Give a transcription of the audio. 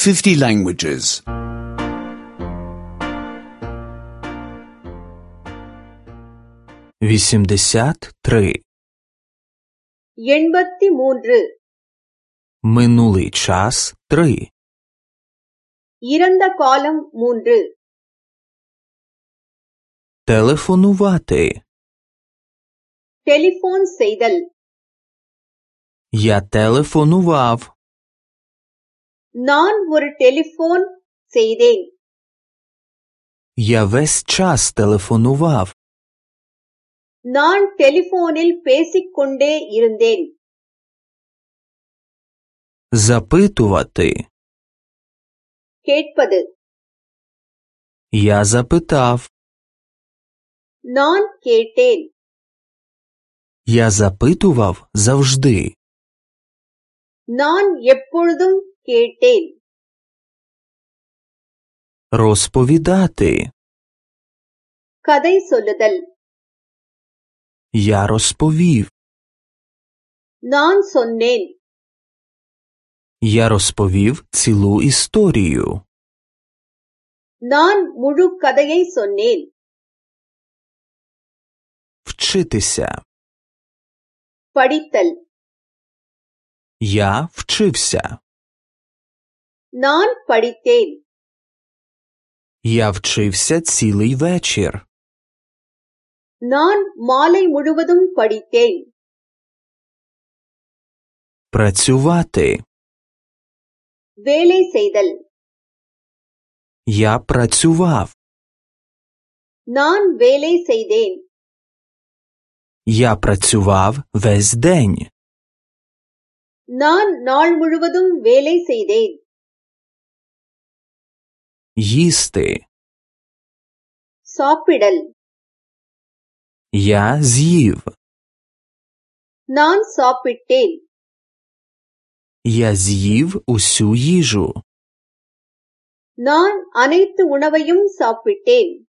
50 languages. 83. 83. Минулий час 3. இறந்த காலம் 3. Телефонувати. டெலிபோன் செய்தல். Я телефонував. நான் ஒரு டெலிபோன் செய்தேன். Я весь час телефонував. நான் டெலிபோனில் பேசிக்கொண்டே இருந்தேன். Запитувати. கேட்பது. Я запитав. நான் கேட்டேன். Я запитував завжди. நான் எப்பொழுதும் கேட்டேன். Розповідати. கதை சொல்லுதல். Я розповів. நான் சொன்னேன். Я розповів цілу історію. நான் முழு கதையை சொன்னேன். Вчитися. படித்தல். Я вчився. நான் படித்தேன். Я вчився цілий вечір. நான் மாலை முழுவதும் படித்தேன். Працювати. வேலை செய்தல். Я працював. நான் வேலை செய்தேன். Я працював весь день. நான் நாள் முழுவதும் வேலை செய்தேன். Їсти. சாப்பிடல். Я з'їв. நான் சாப்பிட்டேன். Я з'їв усю їжу. நான் அனைத்து உணவையும் சாப்பிட்டேன்.